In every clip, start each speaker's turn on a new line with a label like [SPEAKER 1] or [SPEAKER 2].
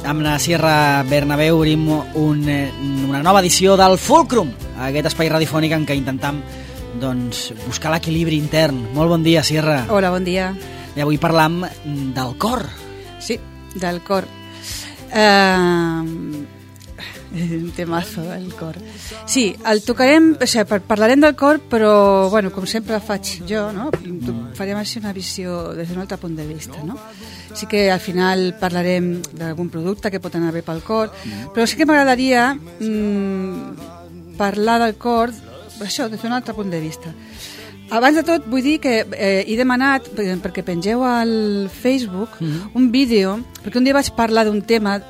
[SPEAKER 1] amb la Sierra Bernabéu obrim una nova edició del Fulcrum, aquest espai radiofònic en què intentam buscar l'equilibri intern. Molt bon dia, Sierra.
[SPEAKER 2] Hola, bon dia.
[SPEAKER 1] I avui parlam del cor.
[SPEAKER 2] Sí, del cor. Un temazo, el cor. Sí, el tocarem, o sigui, parlarem del cor, però, bueno, com sempre faig jo, no? Farem així una visió des d'un altre punt de vista, no? Sí que al final parlarem d'algun producte que pot anar bé pel cor, però sí que m'agradaria parlar del cor, això, des d'un altre punt de vista. Abans de tot, vull dir que he demanat, perquè pengeu al Facebook, un vídeo, perquè un dia vaig parlar d'un tema.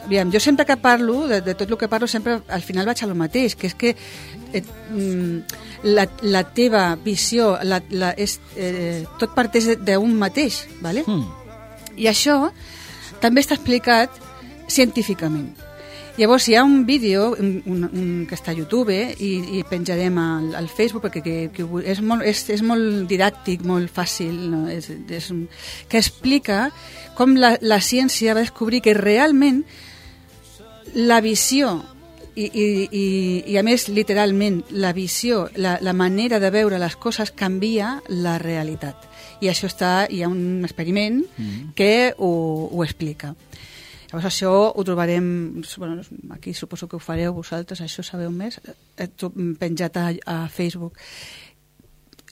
[SPEAKER 2] Aviam, jo sempre que parlo, de tot el que parlo, sempre al final vaig a lo mateix, que és que la teva visió tot parteix d'un mateix, ¿vale? I això també està explicat científicament. Llavors hi ha un vídeo que està a YouTube i penjarem al Facebook perquè és molt didàctic, molt fàcil, no? Que explica com la ciència va descobrir que realment la visió i a més literalment la visió, la manera de veure les coses canvia la realitat, i això hi ha un experiment que ho explica. Llavors això ho trobarem, bueno, aquí suposo que ho fareu vosaltres, això sabeu més, penjat a Facebook.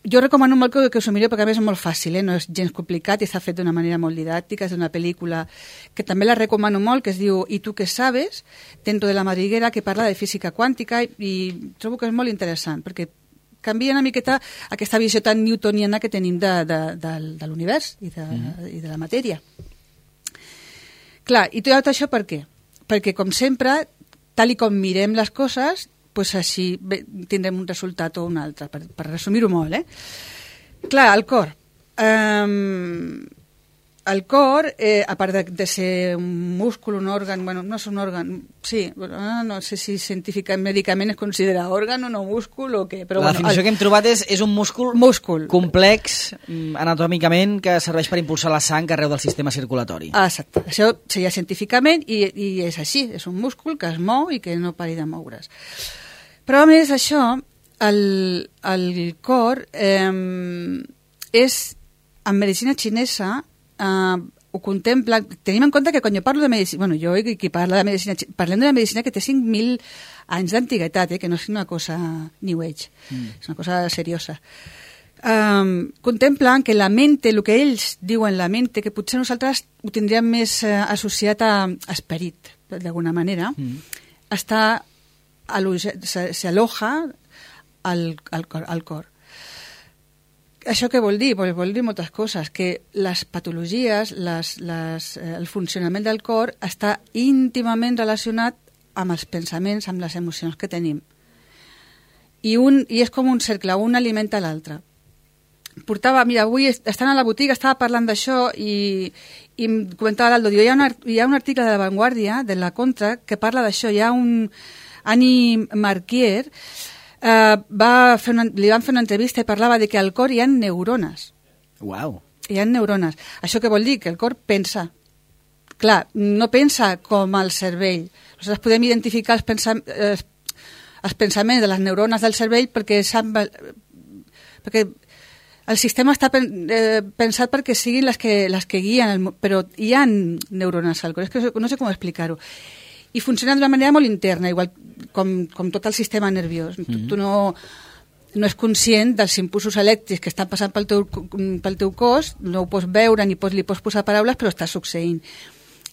[SPEAKER 2] Jo recomano molt que us ho mireu perquè a més és molt fàcil, no és gens complicat i està fet d'una manera molt didàctica, és d'una pel·lícula que també la recomano molt, que es diu ¿Y tú qué sabes?, dentro de la madriguera, que parla de física quàntica i trobo que és molt interessant perquè canvia una miqueta aquesta visió tan newtoniana que tenim de l'univers i de la matèria. Clar, i tot això per què? Perquè com sempre, tal i com mirem les coses, pues així tindrem un resultat o un altre, per resumir-ho molt, Clar, el cor. El cor, a part de ser un múscul, un òrgan, bueno, no és un òrgan, sí, no sé si científicament, mèdicament es considera òrgan o no múscul o què, però
[SPEAKER 1] la definició que hem trobat és un múscul complex anatòmicament que serveix per impulsar la sang arreu del sistema circulatori.
[SPEAKER 2] Exacte, això seria científicament i és així, és un múscul que es mou i que no pari de moure's. Però a més això, el cor és, en medicina xinesa, ho contempla. Tenim en compte que quan jo parlo de medicina, bueno, jo i qui parla de medicina, parlem d'una medicina que té 5.000 anys d'antiguitat, que no és una cosa new age, és una cosa seriosa. Contemplen que la mente, el que ells diuen la mente, que potser nosaltres ho tindríem més associat a esperit, d'alguna manera, s'aloja al cor. Això què vol dir? Vol dir moltes coses, que les patologies, el funcionament del cor està íntimament relacionat amb els pensaments, amb les emocions que tenim. I és com un cercle, un alimenta l'altre. Mira, avui estant a la botiga estava parlant d'això i em comentava l'Aldo, diu, hi ha un article de La Vanguardia, de la Contra, que parla d'això. Hi ha un Annie Marquier, li van fer una entrevista i parlava de que al cor hi ha neurones.
[SPEAKER 1] Uau.
[SPEAKER 2] Hi ha neurones. Això què vol dir? Que el cor pensa. Clar, no pensa com el cervell. Nosaltres podem identificar els pensaments de les neurones del cervell perquè el sistema està pensat perquè siguin les que guien, però hi ha neurones al cor. És que no sé com explicar-ho. I funciona d'una manera molt interna, igual com tot el sistema nerviós. Tu no és conscient dels impulsos elèctrics que estan passant pel teu cos, no ho pots veure ni li pots posar paraules, però està succeint.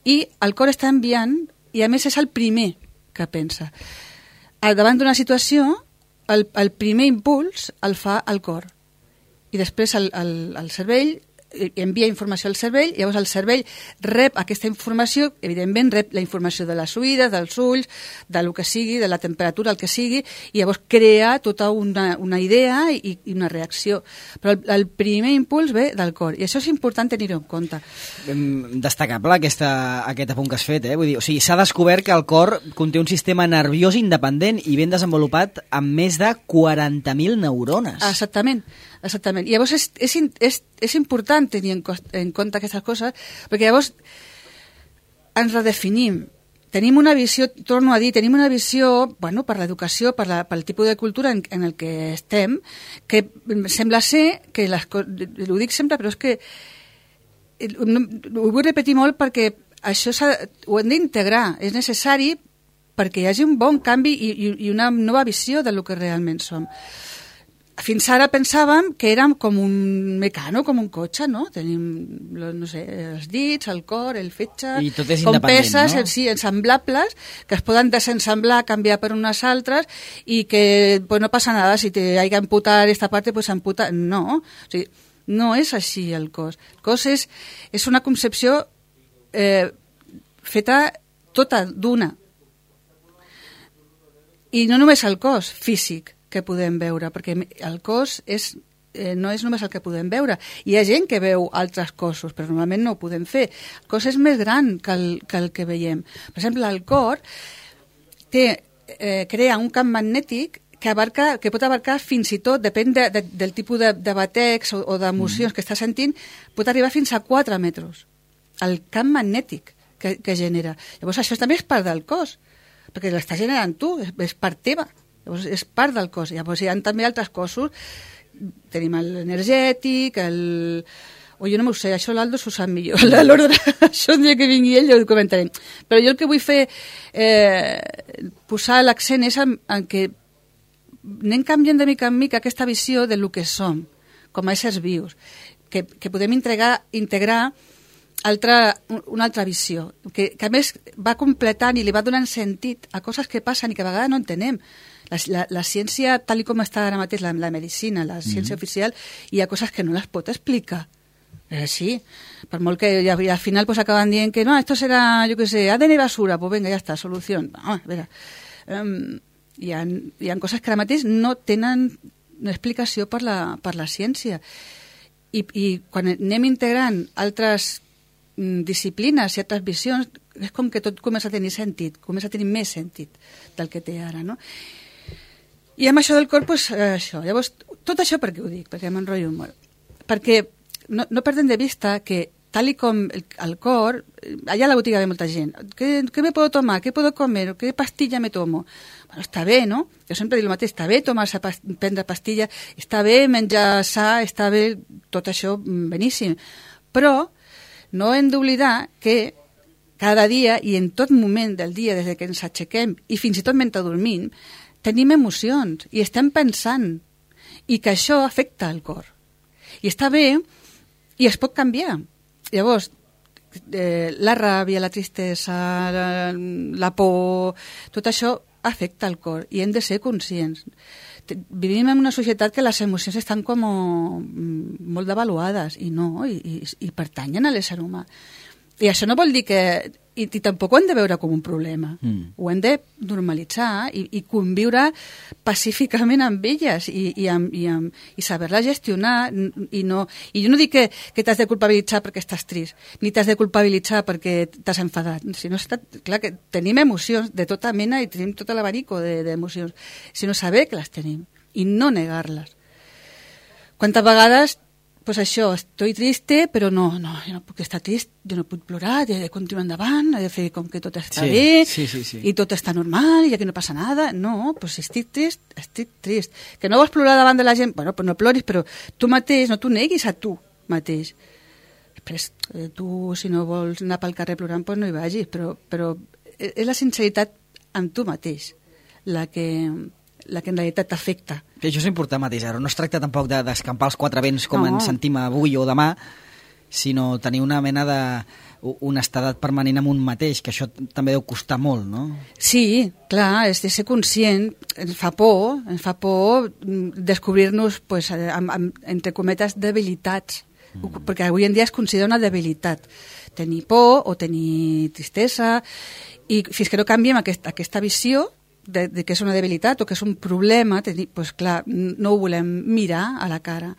[SPEAKER 2] I el cor està enviant, i a més és el primer que pensa. Davant d'una situació, el primer impuls el fa el cor. I després el cervell envia informació al cervell, llavors el cervell rep aquesta informació, evidentment rep la informació de les oïdes, dels ulls, del que sigui, de la temperatura, el que sigui, i llavors crea tota una idea i una reacció. Però el primer impuls ve del cor, i això és important tenir-ho en compte.
[SPEAKER 1] Destacable aquest apunt que has fet, Vull dir, o sigui, s'ha descobert que el cor conté un sistema nerviós independent i ben desenvolupat amb més de 40.000 neurones.
[SPEAKER 2] Exactament. I llavors és important tenir en compte aquestes coses, perquè llavors ens redefinim. Tenim una visió, torno a dir, tenim una visió, bueno, per l'educació, pel tipus de cultura en el que estem, que sembla ser que ho dic sempre, però és que ho vull repetir molt perquè això ho hem d'integrar, és necessari perquè hi hagi un bon canvi i una nova visió del que realment som. Fins ara pensàvem que érem com un mecano, com un cotxe, no? Tenim, no sé, els dits, el cor, el fetge...
[SPEAKER 1] I tot és
[SPEAKER 2] com
[SPEAKER 1] independent,
[SPEAKER 2] peces,
[SPEAKER 1] no?
[SPEAKER 2] Sí, ensamblables, que es poden desensamblar, canviar per unes altres, i que pues, no passa nada, si te hay que amputar esta parte, pues amputa... No, o sigui, no és així el cos. El cos és una concepció feta tota d'una. I no només el cos físic que podem veure, perquè el cos no és només el que podem veure. Hi ha gent que veu altres cossos, però normalment no ho podem fer. El cos és més gran que el que veiem. Per exemple, el cor crea un camp magnètic que pot abarcar fins i tot, depèn del tipus de batecs o d'emocions que està sentint, pot arribar fins a 4 metres. El camp magnètic que genera. Llavors, això també és part del cos, perquè l'estàs generant tu, és part teva. Llavors, és part del cos. Llavors, hi ha també altres cossos. Tenim l'energètic, o jo no m'ho sé, això l'Aldo s'ho sap millor. L'ordre, això un dia que vingui ell ho comentarem. Però jo el que vull fer, posar l'accent és en que anem canviant de mica en mica aquesta visió del que som, com a éssers vius, que podem integrar una altra visió, que a més va completant i li va donant sentit a coses que passen i que a vegades no entenem. La ciència, tal com està ara mateix, la medicina, la ciència oficial, hi ha coses que no les pot explicar. Sí, per molt que al final pues, acaben dient que no, esto será, yo qué sé, ADN basura, pues venga, ya está, solución. No, a veure, hi ha coses que ara mateix no tenen explicació per la ciència. I quan anem integrant altres disciplines i altres visions, és com que tot comença a tenir sentit, comença a tenir més sentit del que té ara, no? I amb això del cor, doncs, això. Llavors, tot això per què ho dic? Perquè m'enrotllo molt. Perquè no perdem de vista que, tal com el cor, allà a la botiga ve molta gent. ¿Qué me puedo tomar? ¿Qué puedo comer? ¿Qué pastilla me tomo? Bueno, està bé, no? Jo sempre dic el mateix, està bé prendre pastilla, està bé menjar sa, està bé tot això beníssim. Però no hem d'oblidar que cada dia i en tot moment del dia, des que ens aixequem i fins i tot mentre dormim, tenim emocions i estem pensant i que això afecta el cor. I està bé i es pot canviar. Llavors, la ràbia, la tristesa, la por, tot això afecta el cor i hem de ser conscients. Vivim en una societat que les emocions estan com molt devaluades i no, i pertanyen a l'ésser humà. I això no vol dir que... I tampoc ho hem de veure com un problema. Ho hem de normalitzar i conviure pacíficament amb elles i saber-la gestionar. I jo no dic que t'has de culpabilitzar perquè estàs trist, ni t'has de culpabilitzar perquè t'has enfadat. Clar que tenim emocions de tota mena i tenim tot l'abanico d'emocions, sinó saber que les tenim i no negar-les. Quantes vegades... Pues això, estoy triste, però no, jo no puc estar trist, jo no puc plorar, he de continuar endavant, he de fer com que tot està bé, i tot està normal, i aquí no passa nada. No, pues si estic trist. Que no vols plorar davant de la gent, bueno, pues no ploris, però tu mateix, no t'ho neguis a tu mateix. Després, tu, si no vols anar pel carrer plorant, pues no hi vagis, però és la sinceritat amb tu mateix la que en realitat t'afecta.
[SPEAKER 1] Això és important, mateix. No es tracta tampoc d'escampar els quatre vents com ens sentim avui o demà, sinó tenir una mena d'honestedat permanent amb un mateix, que això també deu costar molt, no?
[SPEAKER 2] Sí, clar, és de ser conscient. Ens fa por descobrir-nos, pues, entre cometes, debilitats, perquè avui en dia es considera una debilitat. Tenir por o tenir tristesa, i fins que no canviem aquesta visió de que és una debilitat o que és un problema, doncs clar, no ho volem mirar a la cara.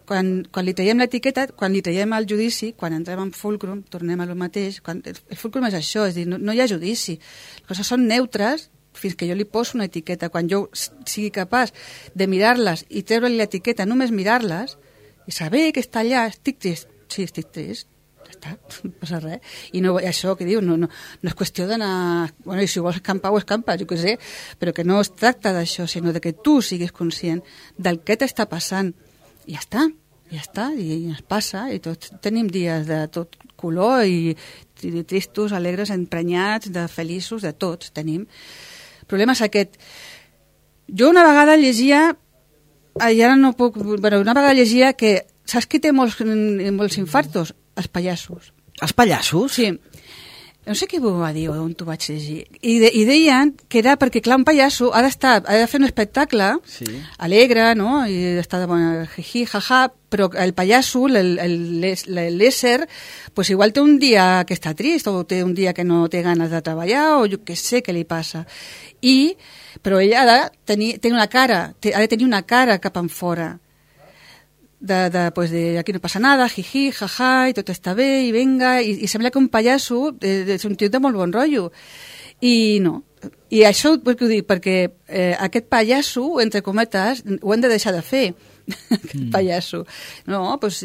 [SPEAKER 2] Quan li traiem l'etiqueta, quan li traiem el judici, quan entrem en fulcrum, tornem a lo mateix, el fulcrum és això, és dir, no hi ha judici. Les coses són neutres fins que jo li poso una etiqueta. Quan jo sigui capaç de mirar-les i treure-li l'etiqueta, només mirar-les, i saber que està allà, estic trist, sí, estic trist, no passa res. I no, això que diu, no és qüestió d'anar... Bueno, i si vols escampar, ho escampes, jo què sé, però que no es tracta d'això, sinó de que tu siguis conscient del que t'està passant. I ja està, i es passa, i tots tenim dies de tot color, i tristos, alegres, emprenyats, de feliços, de tots tenim. El problema és aquest. Jo una vegada llegia, i ara no puc... Bueno, una vegada llegia que... Saps qui té molts infartos? Els pallassos.
[SPEAKER 1] Els pallassos?
[SPEAKER 2] Sí. No sé qui m'ho va dir on t'ho vaig llegir. I deien que era perquè, clar, un pallasso ha de fer un espectacle alegre, no? I està de bona jiji, jaja, però el pallasso, l'ésser, pues igual té un dia que està trist, o té un dia que no té ganes de treballar, o jo què sé què li passa. Però ella ha de tenir una cara, ha de tenir una cara cap enfora. Pues de aquí no passa nada, jiji, jaja, i tot està bé, i venga, i sembla que un pallasso és un tio de molt bon rotllo. I no. I això ho dic perquè aquest pallasso, entre cometes, ho hem de deixar de fer, aquest pallasso. No, doncs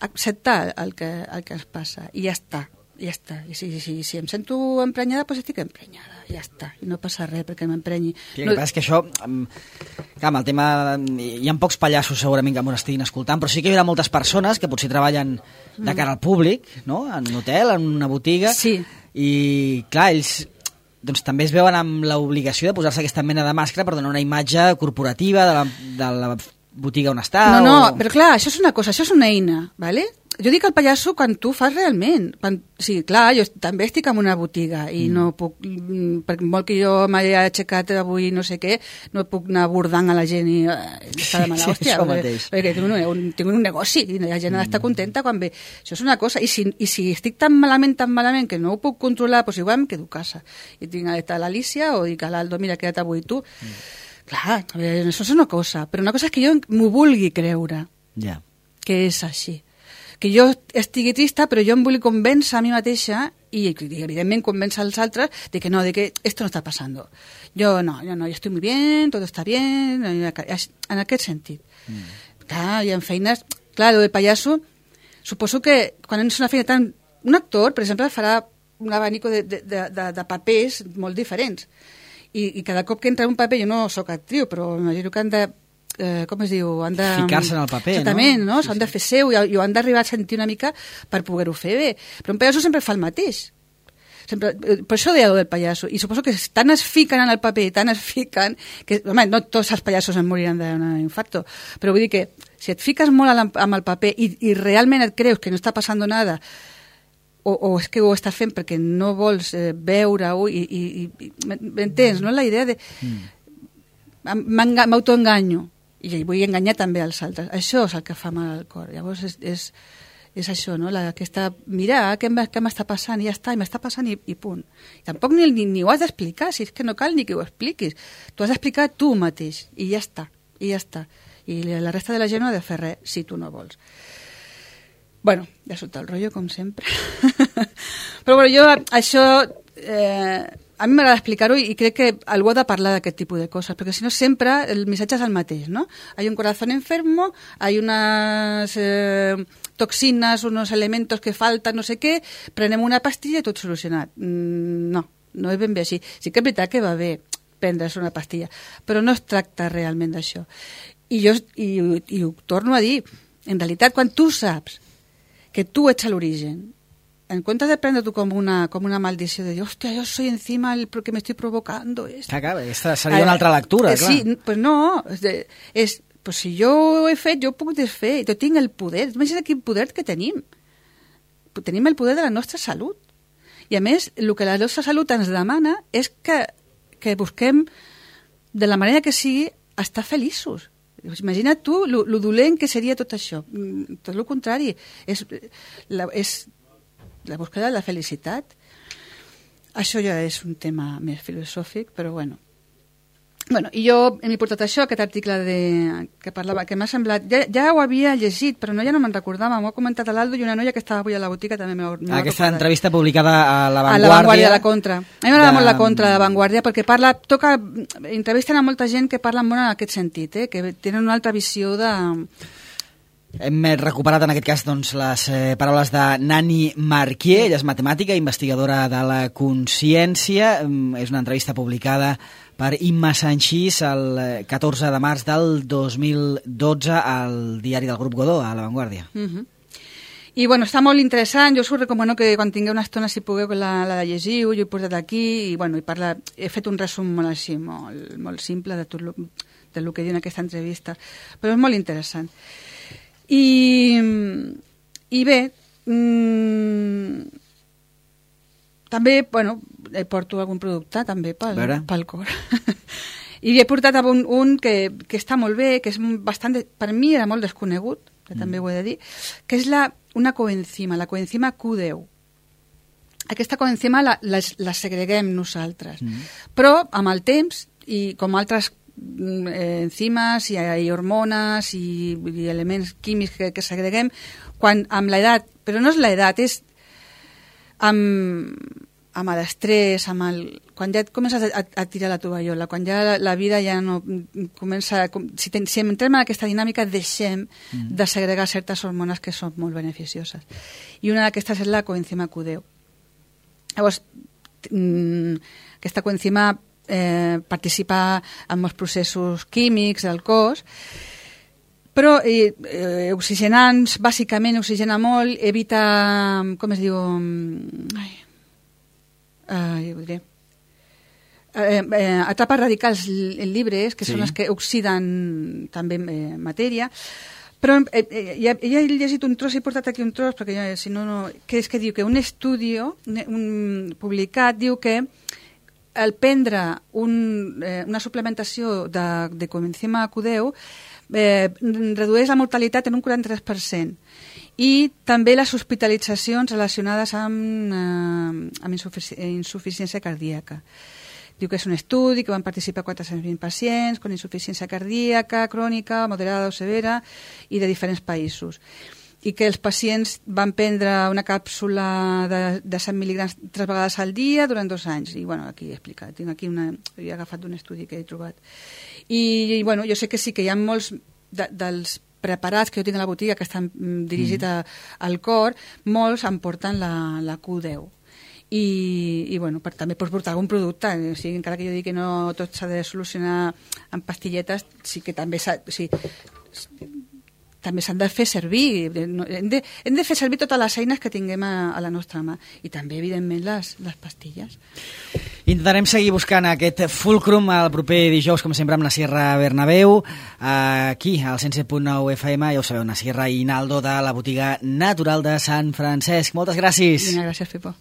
[SPEAKER 2] acceptar el que ens passa, i ja està. I si em sento emprenyada, doncs estic emprenyada, ja està, i no passa res perquè m'emprenyi.
[SPEAKER 1] El que passa és que això, clar, amb el tema, hi ha pocs pallassos segurament que m'ho estiguin escoltant, però sí que hi haurà moltes persones que potser treballen de cara al públic, no? En un hotel, en una botiga, i clar, ells doncs també es veuen amb l'obligació de posar-se aquesta mena de màscara per donar una imatge corporativa de la botiga on està.
[SPEAKER 2] No, però clar, això és una cosa, això és una eina, ¿vale? Jo dic el pallasso quan tu fas realment. Sí, clar, jo també estic en una botiga i no puc, per molt que jo m'hagi aixecat avui no sé què, no puc anar abordant a la gent i està de mala hòstia. Perquè tinc un negoci i la gent ha d'estar contenta quan ve. Això és una cosa. I si estic tan malament que no ho puc controlar, doncs igual em quedo a casa. I tinc a l'Alícia o dic a l'Aldo, mira, queda't avui tu. Clar, això és una cosa. Però una cosa és que jo m'ho vulgui creure. Que és així. Que jo estigui trista, però jo em vull convèncer a mi mateixa i evidentment convèncer als altres de que no, de que esto no está pasando. Yo estoy muy bien, todo está bien, en aquest sentit. Clar, i en feines... Clar, el pallasso, suposo que quan és una feina tan... Un actor, per exemple, farà un abanico de papers molt diferents. I cada cop que entra un paper, jo no sóc actriu, però imagino que han de... com es diu? Han de
[SPEAKER 1] ficar-se en el paper,
[SPEAKER 2] exactament, no? S'han de fer seu i ho han d'arribar a sentir una mica per poder-ho fer bé. Però un pallasso sempre fa el mateix. Sempre, per això deia del pallasso. I suposo que tant es fiquen en el paper, tant es fiquen, que, home, no tots els pallassos en moriran d'un infarto, però vull dir que si et fiques molt amb el paper i realment et creus que no està passant nada, o és que ho està fent perquè no vols veure-ho i m'entens, no? La idea de... m'autoenganyo i vull enganyar també als altres. Això és el que fa mal al cor. Llavors és això, no? Mira, què m'està passant i ja està, i m'està passant i punt. I tampoc ni ho has d'explicar, si és que no cal ni que ho expliquis. Tu has d'explicar tu mateix i ja està, I la resta de la gent no ha de fer res si tu no vols. Bueno, ja surt el rotllo, com sempre. Però bueno, jo això... a mi m'agrada explicar-ho i crec que algú ha de parlar d'aquest tipus de coses, perquè si no sempre el missatge és el mateix, ¿no? Hay un corazón enfermo, hay unas toxinas, unos elementos que faltan, no sé què, prenem una pastilla i tot solucionat. No és ben bé així. Sí que és veritat que va bé prendre's una pastilla, però no es tracta realment d'això. I ho torno a dir, en realitat, quan tu saps que tu ets a l'origen, en comptes de prendre-t'ho com una maldició de dir, hòstia, jo soy encima el que me estoy provocando esto.
[SPEAKER 1] Clar, aquesta seria una altra lectura, clar.
[SPEAKER 2] Sí, pues no, pues si jo ho he fet, jo ho puc desfer, jo tinc el poder, imagina't quin poder que tenim. Tenim el poder de la nostra salut. I a més, el que la nostra salut ens demana és que busquem, de la manera que sigui, estar feliços. Imagina't tu lo dolent que seria tot això. Tot el contrari. És la búsqueda de la felicitat. Això ja és un tema més filosòfic, però bueno. I jo m'he portat això, aquest article que parlava, que m'ha semblat... Ja ho havia llegit, però ja no me'n recordava. M'ho ha comentat l'Aldo i una noia que estava avui a la botiga també m'ha recordat.
[SPEAKER 1] Aquesta entrevista publicada a La Vanguardia.
[SPEAKER 2] A La Vanguardia, a la Contra. A mi m'agrada molt la Contra de La Vanguardia perquè entrevisten a molta gent que parla molt en aquest sentit, que tenen una altra visió
[SPEAKER 1] Hem recuperat en aquest cas doncs, les paraules de Nani Marquier. Ella és matemàtica, investigadora de la consciència. És una entrevista publicada per Imma Sanchís el 14 de març del 2012 al diari del Grup Godó, a La Vanguardia.
[SPEAKER 2] I bueno, està molt interessant, jo us recomano que quan tingueu una estona, si pugueu, la llegiu, jo he posat aquí, i bueno, he fet un resum molt així, molt simple de tot del que diu en aquesta entrevista, però és molt interessant. I bé, també, bueno, porto algun producte també pel cor. I he portat un que està molt bé, que és bastant, per mi era molt desconegut, que també ho he de dir, que és una coenzima, la coenzima Q10. Aquesta coenzima la segreguem nosaltres, però amb el temps, i com altres enzimes i hormones i elements químics que segreguem amb l'edat, però no és l'edat, és amb l'estrès, quan ja et comences a tirar la tovallola, quan ja la vida ja no comença... Si entrem en aquesta dinàmica, deixem de segregar certes hormones que són molt beneficioses. I una d'aquestes és la coenzima Q10. Llavors, aquesta coenzima participa en molts processos químics del cos, però oxigenants, bàsicament oxigena molt, evita, com es diu, atrapa radicals llibres, que són els que oxiden també matèria. Però ja he llegit un tros, he portat aquí un tros, perquè si no... Que és que diu que un estudi publicat diu que al prendre una suplementació de coenzima Q10 redueix la mortalitat en un 43% i també les hospitalitzacions relacionades amb insuficiència cardíaca. Diu que és un estudi que van participar 420 pacients amb insuficiència cardíaca, crònica, moderada o severa i de diferents països. I que els pacients van prendre una càpsula de 100 mil·lígrams 3 vegades al dia durant 2 anys. I, bueno, aquí he explicat. Tinc aquí he agafat d'un estudi que he trobat. I, bueno, jo sé que sí que hi ha molts dels preparats que jo tinc a la botiga que estan dirigits al cor, molts em porten la Q10. I bueno, també pots portar algun producte, o sigui, encara que jo digui que no tot s'ha de solucionar amb pastilletes, sí que també també s'han de fer servir. Hem de fer servir totes les eines que tinguem a la nostra mà. I també, evidentment, les pastilles.
[SPEAKER 1] Intentarem seguir buscant aquest fulcrum el proper dijous, com sempre, amb Nasirra Bernabeu, aquí, al 107.9 FM, ja ho sabeu, Nasirra i Naldo, de la botiga natural de Sant Francesc. Moltes gràcies.
[SPEAKER 2] Gràcies, Pepo.